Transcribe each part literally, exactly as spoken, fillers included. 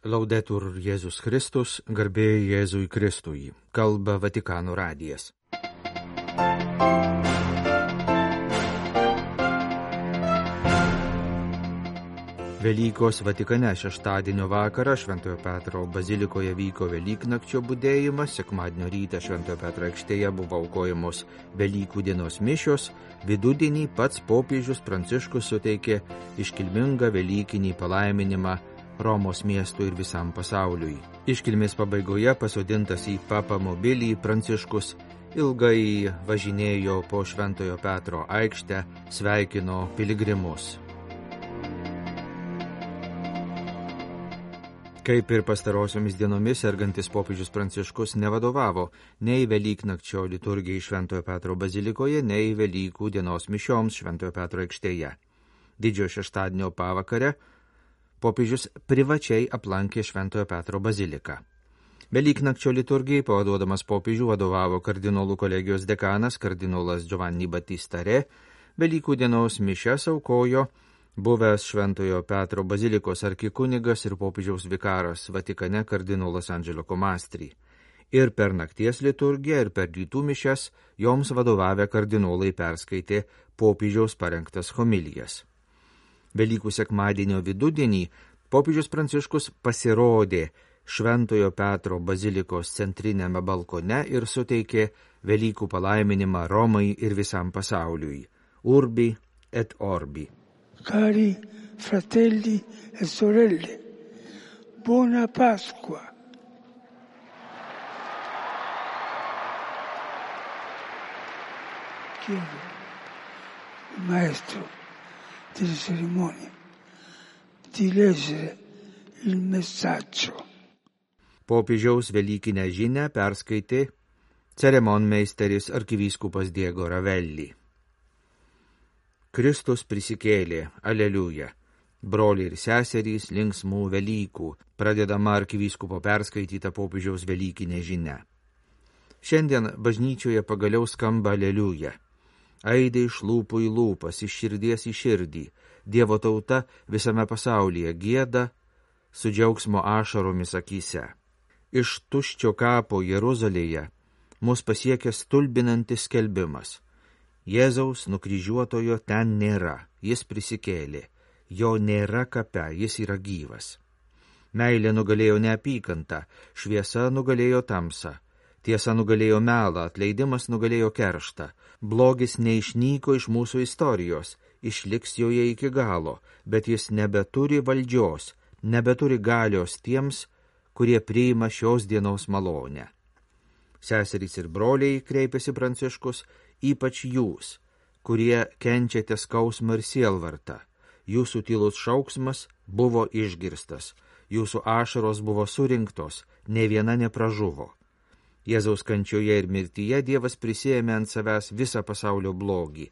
Laudetur Jėzus Kristus, garbė Jėzui Kristui, kalba Vatikano radijas. Velykos Vatikane šeštadienio vakarą Šventojo Petro bazilikoje vyko Velyknakčio budėjimas, sekmadienio rytą Šventojo Petro aikštėje buvo aukojamos Velykų dienos mišios, vidudienį pats popiežius Pranciškus suteikė iškilmingą velykinį palaiminimą Romos miestui ir visam pasauliui. Iškilmės pabaigoje pasodintas į papamobilį Pranciškus ilgai važinėjo po Šventojo Petro aikštę, sveikino piligrimus. Kaip ir pastarosiomis dienomis, sergantis popiežius Pranciškus nevadovavo nei Velyknakčio liturgijai Šventojo Petro bazilikoje, nei Velykų dienos mišioms Šventojo Petro aikštėje. Didžiojo šeštadienio pavakare popiežius privačiai aplankė Šventojo Petro baziliką. Velyknakčio liturgijai pavaduodamas popiežių vadovavo kardinolų kolegijos dekanas kardinolas Giovanni Battista Re, Velykų dienos mišias aukojo buvęs Šventojo Petro bazilikos arkikunigas ir popiežiaus vikaras Vatikane kardinolas Angelo Comastri. Ir per nakties liturgiją, ir per rytų mišias joms vadovavę kardinolai perskaitė popiežiaus parengtas homilijas. Velykų sekmadienio vidudienį popiežius Pranciškus pasirodė Šventojo Petro bazilikos centrinėme balkone ir suteikė Velykų palaiminimą Romai ir visam pasauliui. Urbi et orbi. Cari fratelli e sorelle, buona Pasqua. Chiedo al maestro delle cerimonie di leggere il messaggio. Popiežiaus velykinę žinią perskaitė ceremonmeisteris arkivyskupas Diego Ravelli. Kristus prisikėlė, aleliuja. Broliai ir seserys, linksmų Velykų, pradedama arkivyskupo perskaityta popiežiaus velykinė žinia. Šiandien bažnyčioje pagaliau skamba aleliuja. Aidai iš lūpų į lūpas, iš širdies į širdį. Dievo tauta visame pasaulyje gieda su džiaugsmo ašaromis akyse. Iš tuščio kapo Jeruzalėje mus pasiekia stulbinantis skelbimas. Jėzaus nukryžiuotojo ten nėra, jis prisikėlė, jo nėra kape, jis yra gyvas. Meilė nugalėjo neapykantą, šviesa nugalėjo tamsą, tiesa nugalėjo melą, atleidimas nugalėjo kerštą, blogis neišnyko iš mūsų istorijos, išliks joje iki galo, bet jis nebeturi valdžios, nebeturi galios tiems, kurie priima šios dienos malonę. Seserys ir broliai, kreipėsi Pranciškus, ypač jūs, kurie kenčiate skausmą ir sielvartą. Jūsų tylus šauksmas buvo išgirstas, jūsų ašaros buvo surinktos, ne viena nepražuvo. Jėzaus kančioje ir mirtyje Dievas prisėmė ant savęs visą pasaulio blogį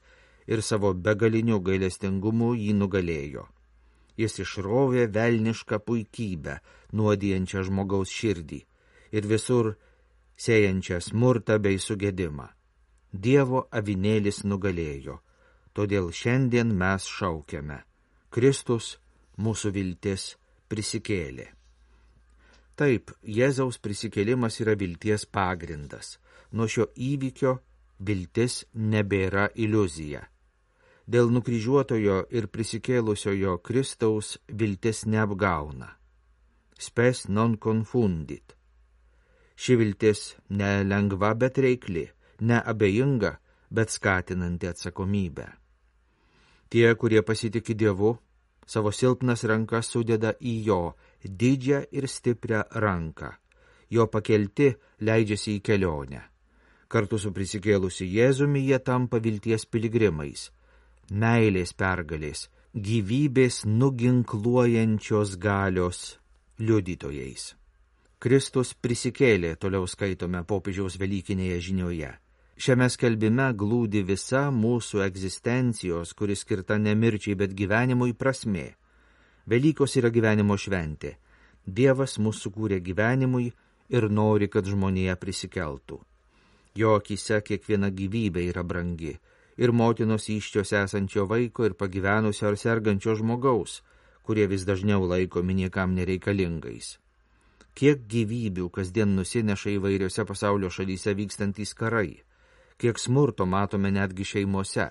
ir savo begaliniu gailestingumu jį nugalėjo. Jis išrovė velnišką puikybę, nuodijančią žmogaus širdį ir visur sėjančią smurtą bei sugedimą. Dievo avinėlis nugalėjo, todėl šiandien mes šaukiame. Kristus, mūsų viltis, prisikėlė. Taip, Jėzaus prisikėlimas yra vilties pagrindas. Nuo šio įvykio viltis nebėra iliuzija. Dėl nukryžiuotojo ir prisikėlusiojo Kristaus viltis neapgauna. Spes non confundit. Ši viltis nelengva, bet reikli. Neabejinga, bet skatinanti atsakomybę. Tie, kurie pasitiki Dievu, savo silpnas rankas sudeda į jo didžią ir stiprią ranką. Jo pakelti leidžiasi į kelionę. Kartu su prisikėlusiu Jėzumi jie tampa vilties piligrimais, meilės pergalės, gyvybės nuginkluojančios galios liudytojais. Kristus prisikėlė, toliau skaitome popiežiaus velykinėje žinioje. Šiame skelbime glūdi visa mūsų egzistencijos, kuri skirta ne mirčiai, bet gyvenimui prasmė. Velykos yra gyvenimo šventė. Dievas mus sukūrė gyvenimui ir nori, kad žmonija prisikeltų. Jo akyse kiekviena gyvybė yra brangi, ir motinos įsčios esančio vaiko, ir pagyvenusio ar sergančio žmogaus, kurie vis dažniau laikomi niekam nereikalingais. Kiek gyvybių kasdien nusineša įvairiose pasaulio šalyse vykstantys karai, kiek smurto matome netgi šeimose,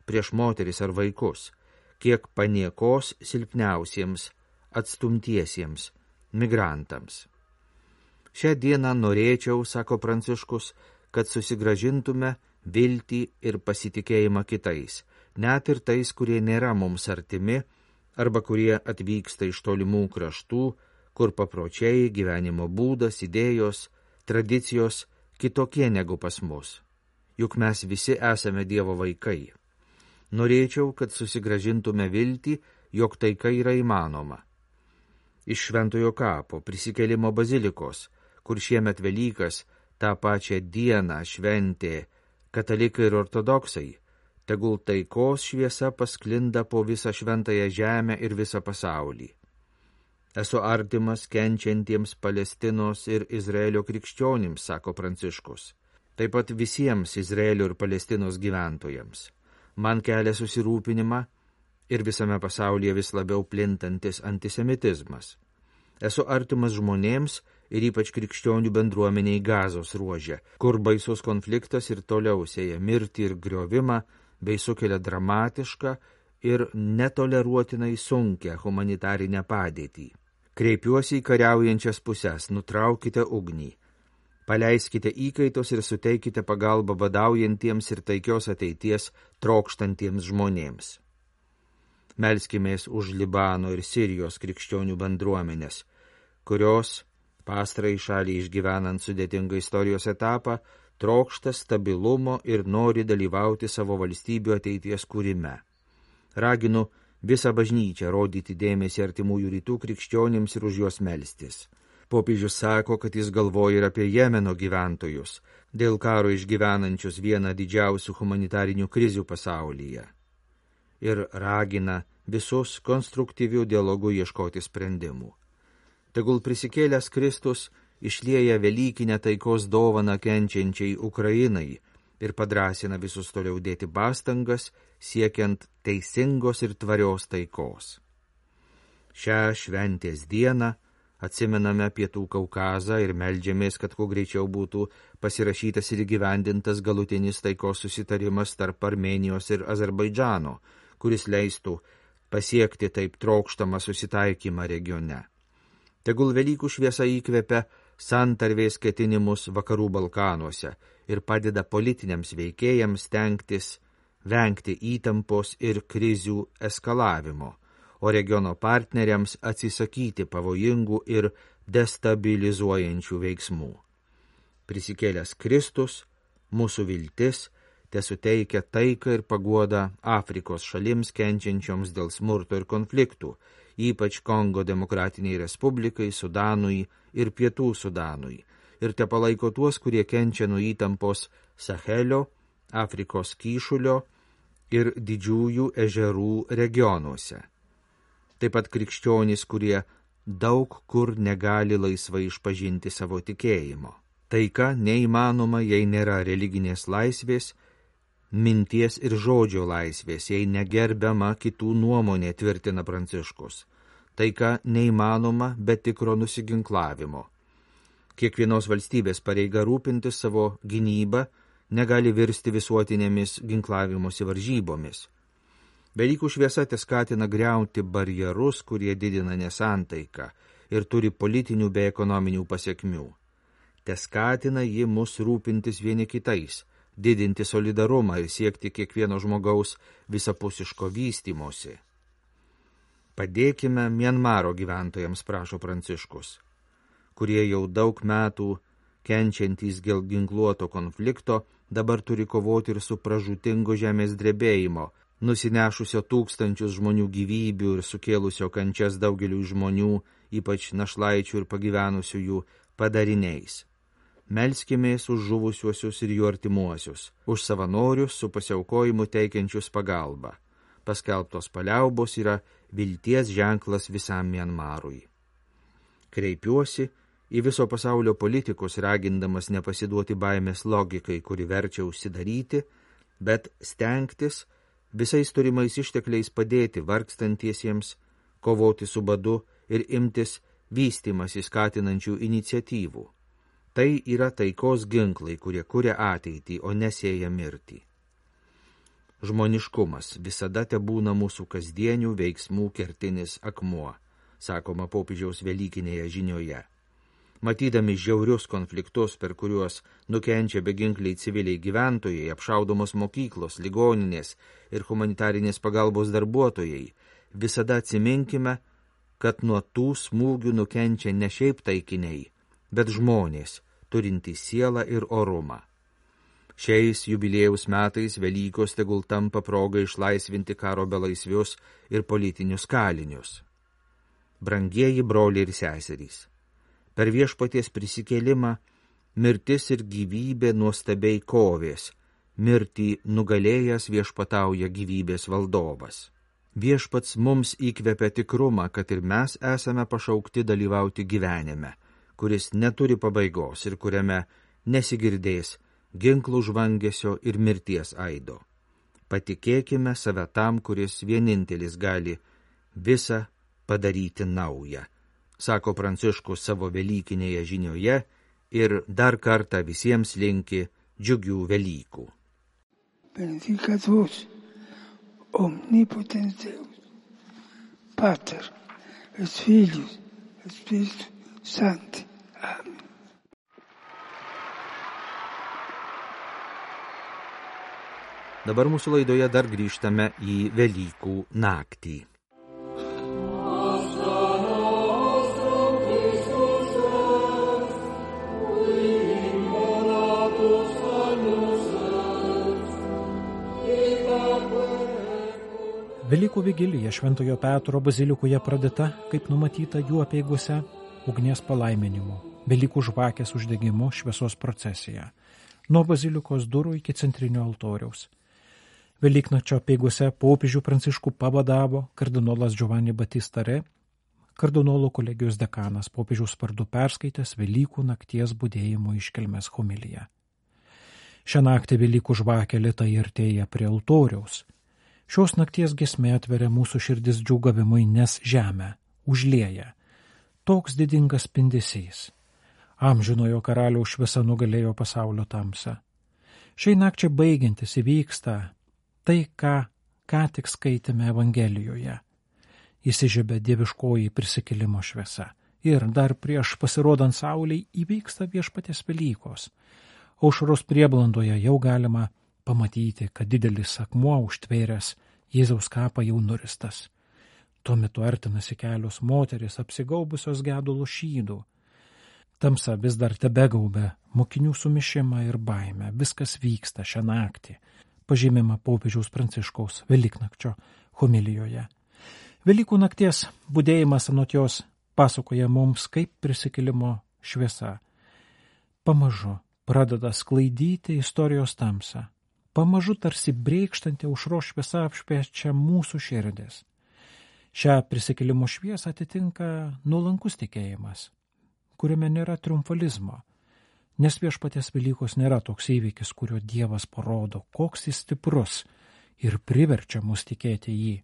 prieš moteris ar vaikus, kiek paniekos silpniausiems, atstumtiesiems, migrantams. Šią dieną norėčiau, sako Pranciškus, kad susigražintume viltį ir pasitikėjimą kitais, net ir tais, kurie nėra mums artimi, arba kurie atvyksta iš tolimų kraštų, kur papročiai, gyvenimo būdas, idėjos, tradicijos kitokie negu pas mus. Juk mes visi esame Dievo vaikai. Norėčiau, kad susigražintume viltį, jog taika yra įmanoma. Iš Šventojo kapo prisikėlimo bazilikos, kur šiemet Velykas tą pačią dieną šventė katalikai ir ortodoksai, tegul taikos šviesa pasklinda po visą šventąją žemę ir visą pasaulį. Esu artimas kenčiantiems Palestinos ir Izraelio krikščionims, sako Pranciškus, taip pat visiems Izraelio ir Palestinos gyventojams. Man kelia susirūpinimą ir visame pasaulyje vis labiau plintantis antisemitizmas. Esu artimas žmonėms ir ypač krikščionių bendruomeniai Gazos ruože, kur baisus konfliktas ir toliau sėja mirtį ir griovimą, bei sukelia dramatišką ir netoleruotinai sunkią humanitarinę padėtį. Kreipiuosi į kariaujančias pusės, nutraukite ugnį, paleiskite įkaitus ir suteikite pagalbą badaujantiems ir taikios ateities trokštantiems žmonėms. Melskimės už Libano ir Sirijos krikščionių bendruomenės, kurios, pastarai šaliai išgyvenant sudėtingą istorijos etapą, trokšta stabilumo ir nori dalyvauti savo valstybių ateities kūrime. Raginu visą bažnyčią rodyti dėmesį artimųjų rytų krikščionims ir už juos melstis. Popiežius sako, kad jis galvoja ir apie Jemeno gyventojus, dėl karo išgyvenančius vieną didžiausių humanitarinių krizių pasaulyje. Ir ragina visus konstruktyvių dialogų ieškoti sprendimų. Tegul prisikėlęs Kristus išlieja velykinę taikos dovaną kenčiančiai Ukrainai ir padrasina visus toliau dėti pastangas, siekiant teisingos ir tvarios taikos. Šią šventės dieną atsimename Pietų Kaukazą ir meldžiamės, kad kuo greičiau būtų pasirašytas ir įgyvendintas galutinis taikos susitarimas tarp Armėnijos ir Azerbaidžano, kuris leistų pasiekti taip trokštamą susitaikymą regione. Tegul Velykų šviesa įkvepia santarvės ketinimus vakarų Balkanuose ir padeda politiniams veikėjams stengtis vengti įtampos ir krizių eskalavimo, o regiono partneriams atsisakyti pavojingų ir destabilizuojančių veiksmų. Prisikėlęs Kristus, mūsų viltis, tesuteikia taiką ir paguodą Afrikos šalims kenčiančioms dėl smurto ir konfliktų, ypač Kongo demokratiniai respublikai, Sudanui ir Pietų Sudanui, ir te palaiko tuos, kurie kenčia nuo įtampos Sahelio, Afrikos kyšulio ir didžiųjų ežerų regionuose. Taip pat krikščionys, kurie daug kur negali laisvai išpažinti savo tikėjimo. Taika neįmanoma, jei nėra religinės laisvės, minties ir žodžio laisvės, jei negerbiama kitų nuomonė, tvirtina Pranciškus. Taika neįmanoma be tikro nusiginklavimo. Kiekvienos valstybės pareiga rūpintis savo gynybą negali virsti visuotinėmis ginklavimosi varžybomis. Velykų šviesa teskatina griauti barjerus, kurie didina nesantaiką ir turi politinių bei ekonominių pasiekmių. Teskatina ji mus rūpintis vieni kitais, didinti solidarumą ir siekti kiekvieno žmogaus visapusiško vystymosi. Padėkime Mianmaro gyventojams, prašo Pranciškus, kurie jau daug metų kenčiantys dėl ginkluoto konflikto dabar turi kovoti ir su pražūtingo žemės drebėjimo, nusinešusio tūkstančius žmonių gyvybių ir sukėlusio kančias daugelių žmonių, ypač našlaičių ir pagyvenusiųjų padariniais. Melskimės už žuvusiuosius ir jų artimuosius, už savanorius su pasiaukojimu teikiančius pagalbą. Paskelbtos paliaubos yra vilties ženklas visam Mianmarui. Kreipiuosi į viso pasaulio politikus, ragindamas nepasiduoti baimės logikai, kuri verčia užsidaryti, bet stengtis visais turimais ištekliais padėti vargstantiesiems, kovoti su badu ir imtis vystymasi skatinančių iniciatyvų. Tai yra taikos ginklai, kurie kuria ateitį, o nesėja mirtį. Žmoniškumas visada tebūna mūsų kasdienių veiksmų kertinis akmuo, sakoma popiežiaus velykinėje žinioje. Matydami žiaurius konfliktus, per kuriuos nukenčia beginkliai civiliai gyventojai, apšaudomos mokyklos, ligoninės ir humanitarinės pagalbos darbuotojai, visada atsiminkime, kad nuo tų smūgių nukenčia ne šiaip taikiniai, bet žmonės, turintys sielą ir orumą. Šiais jubiliejaus metais Velykos tegul tampa proga išlaisvinti karo belaisvius ir politinius kalinius. Brangieji broliai ir seserys, per Viešpaties prisikėlimą mirtis ir gyvybė nuostabiai kovės, mirtį nugalėjęs viešpatauja gyvybės valdovas. Viešpats mums įkvepia tikrumą, kad ir mes esame pašaukti dalyvauti gyvenime, kuris neturi pabaigos ir kuriame nesigirdės ginklų žvangesio ir mirties aido. Patikėkime save tam, kuris vienintelis gali visą padaryti naują, sako Pranciškus savo velykinėje žinioje ir dar kartą visiems linki džiugių Velykų. Benedicat vos, omnipotens Deus, Pater, et Filius, et Spiritus Sancti. Amen. Dabar mūsų laidoje dar grįžtame į Velykų naktį. Velykų vigilija Šventojo Petro bazilikoje pradėta, kaip numatyta jų apeigose, ugnies palaiminimu, Velykų žvakės uždegimu šviesos procesija, nuo bazilikos durų iki centrinio altoriaus. Velyknakčio apeigose popiežių Pranciškų pavadavo kardinolas Giovanni Battista Re, kardinolų kolegijos dekanas popiežiaus vardu perskaitęs Velykų nakties budėjimo iškilmės homiliją. Šią naktį Velykų žvakė lėtai artėja prie altoriaus. Šios nakties giesmė atveria mūsų širdis džiūgavimui, nes žemę užlieja toks didingas spindesys. Amžinojo karaliaus šviesa nugalėjo pasaulio tamsą. Šiai nakčiai baigiantis įvyksta tai, ką ką tik skaitėme Evangelijoje. Įsižiebia dieviškoji prisikėlimo šviesa. Ir dar prieš pasirodant saulei įvyksta Viešpaties Velykos. Aušros prieblandoje jau galima pamatyti, kad didelis akmuo užtvėręs Jėzaus kapą jau nuristas. Tuo metu artinasi kelios moteris apsigaubusios gedulo šydų. Tamsa vis dar tebegaubia mokinių sumišimą ir baimę. Viskas vyksta šią naktį, pažymima popiežiaus Pranciškaus Velyknakčio homilijoje. Velykų nakties budėjimas anot jos pasakoja mums, kaip prisikėlimo šviesa pamažu pradeda sklaidyti istorijos tamsą. Pamažu tarsi brėkštanti aušros šviesa apšviečia mūsų širdis. Šią prisikėlimo šviesą atitinka nuolankus tikėjimas, kuriame nėra triumfalizmo, nes Viešpaties Velykos nėra toks įvykis, kurio Dievas parodo, koks jis stiprus ir priverčia mus tikėti jį.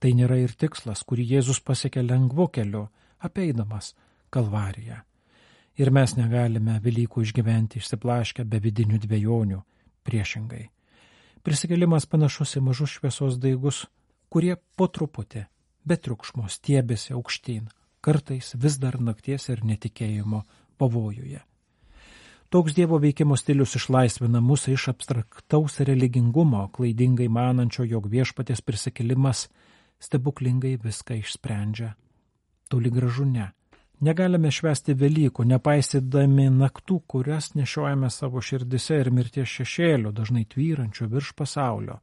Tai nėra ir tikslas, kurį Jėzus pasiekė lengvu keliu, apeidamas Kalvariją. Ir mes negalime Velykų išgyventi išsiblaškę be vidinių dvejonių, priešingai. Prisikėlimas panašus į mažus šviesos daigus, kurie po truputį, be triukšmo stiebėsi aukštyn, kartais vis dar nakties ir netikėjimo pavojuje. Toks Dievo veikimo stilius išlaisvina mus iš abstraktaus religingumo, klaidingai manančio, jog Viešpaties prisikėlimas stebuklingai viską išsprendžia. Toli gražu ne. Negalime švęsti Velykų, nepaisydami naktų, kurias nešiojame savo širdise ir mirties šešėlių, dažnai tvyrančių virš pasaulio.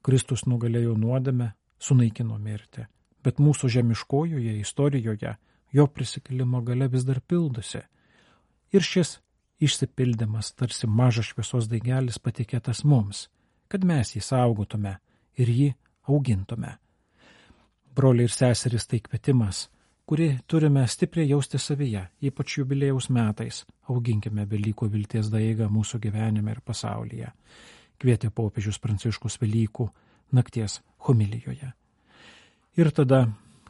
Kristus nugalėjo nuodėmę, sunaikino mirtį, bet mūsų žemiškojoje istorijoje jo prisikėlimo galia vis dar pildosi. Ir šis išsipildymas tarsi mažas šviesos daigelis patikėtas mums, kad mes jį saugotume ir jį augintume. Broliai ir seserys, tai kvietimas, kurį turime stipriai jausti savyje, ypač jubiliejaus metais. Auginkime Velykų vilties daigą mūsų gyvenime ir pasaulyje, kvietė popiežius Pranciškus Velykų nakties homilijoje. Ir tada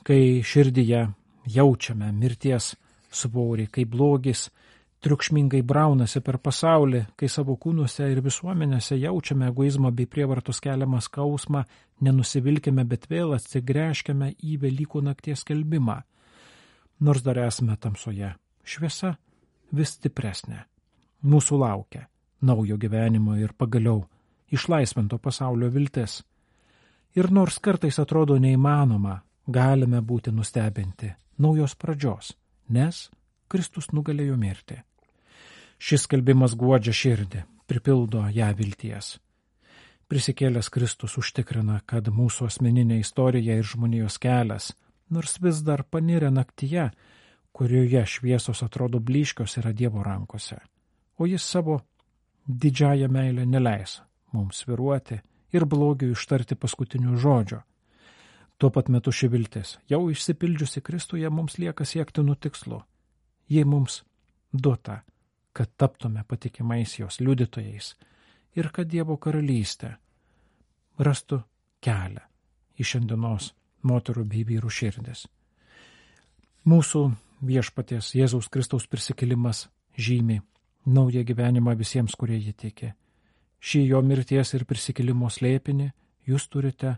kai širdyje jaučiame mirties svorį, kai blogis triukšmingai braunasi per pasaulį, kai savo kūnuose ir visuomenėse jaučiame egoizmą bei prievartos keliamą skausmą, nenusivilkime, bet vėl atsigręžkime į Velykų nakties skelbimą. Nors dar esame tamsoje, šviesa vis stipresnė. Mūsų laukia naujo gyvenimo ir pagaliau išlaisvinto pasaulio viltis. Ir nors kartais atrodo neįmanoma, galime būti nustebinti naujos pradžios, nes Kristus nugalėjo mirtį. Šis skelbimas guodžia širdį, pripildo ją vilties. Prisikėlęs Kristus užtikrina, kad mūsų asmeninė istorija ir žmonijos kelias, nors vis dar panirę naktyje, kurioje šviesos atrodo blyškios, yra Dievo rankose, o jis savo didžiąją meilę neleis mums sviruoti ir blogiui ištarti paskutinių žodžio. Tuo pat metu ši viltis, jau išsipildžiusi Kristuje, mums lieka siektinų tikslų. Jei mums duota, kad taptume patikimais jos liudytojais ir kad Dievo karalystė rastų kelią į šiandienos moterų bei vyrų širdis. Mūsų viešpaties Jėzaus Kristaus prisikėlimas žymi naują gyvenimą visiems, kurie jį tiki. Šį jo mirties ir prisikėlimo slėpinį jūs turite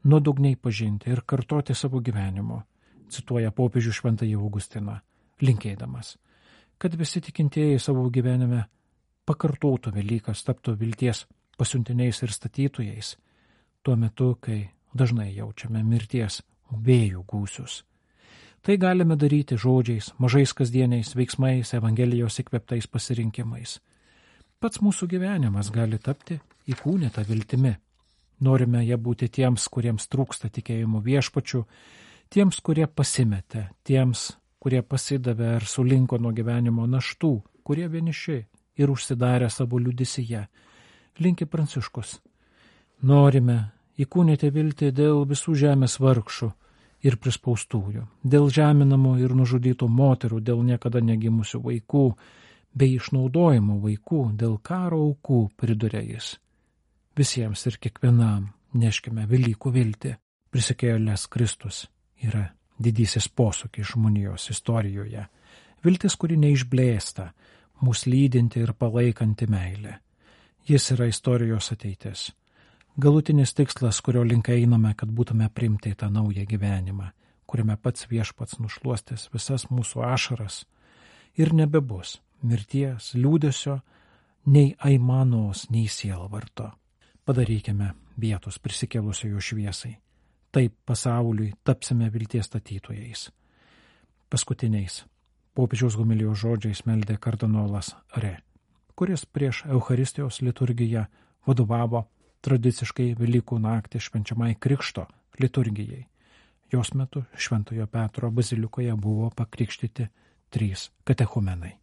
nuodugniai pažinti ir kartoti savo gyvenimu, cituoja popiežių Šventąjį Augustiną, linkėdamas, kad visi tikintieji savo gyvenime pakartotų Velykas, taptų vilties pasiuntiniais ir statytojais, tuo metu, kai dažnai jaučiame mirties vėjų gūsius. Tai galime daryti žodžiais, mažais kasdieniais veiksmais, Evangelijos įkvėptais pasirinkimais. Pats mūsų gyvenimas gali tapti įkūnyta viltimi. Norime ją būti tiems, kuriems trūksta tikėjimo viešpačiu, tiems, kurie pasimetė, tiems, kurie pasidavė ar sulinko nuo gyvenimo naštų, kurie vieniši ir užsidarę savo liudisyje. Linki Pranciškus. Norime įkūnyti viltį dėl visų žemės vargšų ir prispaustųjų, dėl žeminamų ir nužudytų moterų, dėl niekada negimusių vaikų, bei išnaudojimo vaikų, dėl karo aukų, priduria jis. Visiems ir kiekvienam neškime Velykų viltį. Prisikėlęs Kristus yra didysis posūkis žmonijos istorijoje. Viltis, kuri neišblėsta, mus lydinti ir palaikanti meilė. Jis yra istorijos ateitis. Galutinis tikslas, kurio link einame, kad būtume priimti į tą naują gyvenimą, kuriame pats viešpats nušluostys visas mūsų ašaras ir nebebus mirties, liūdesio, nei aimanos, nei sielvarto. Padarykime vietos prisikėlusiojo šviesai. Taip pasauliui tapsime vilties statytojais. Paskutiniais popiežiaus homilijos žodžiais meldė kardinolas Re, kuris prieš Eucharistijos liturgiją vadovavo tradiciškai Velykų naktį švenčiamai Krikšto liturgijai. Jos metu Šventojo Petro bazilikoje buvo pakrikštyti trys katechumenai.